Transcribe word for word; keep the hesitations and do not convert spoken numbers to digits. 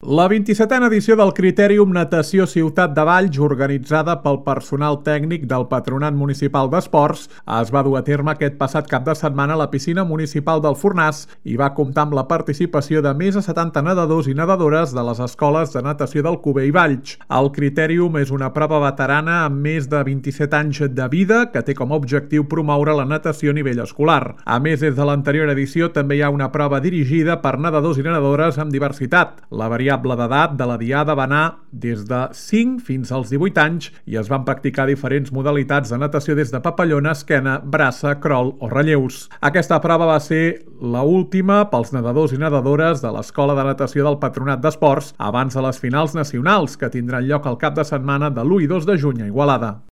La vint-i-setena edició del Critèrium Natació Ciutat de Valls, organitzada pel personal tècnic del Patronat Municipal d'Esports, es va dur a terme aquest passat cap de setmana a la piscina municipal del Fornàs i va comptar amb la participació de més de setanta nedadors i nedadores de les escoles de natació d'Alcover i Valls. El Critèrium és una prova veterana amb més de vint-i-set anys de vida que té com a objectiu promoure la natació a nivell escolar. A més, des de l'anterior edició també hi ha una prova dirigida per nedadors i nedadores amb diversitat. La variable d'edat de la diada va anar des de cinc fins als divuit anys i es van practicar diferents modalitats de natació des de papallona, esquena, braça, crawl o relleus. Aquesta prova va ser la última pels nedadors i nedadores de l'Escola de Natació del Patronat d'Esports abans de les finals nacionals que tindran lloc el cap de setmana de l'u i dos de juny a Igualada.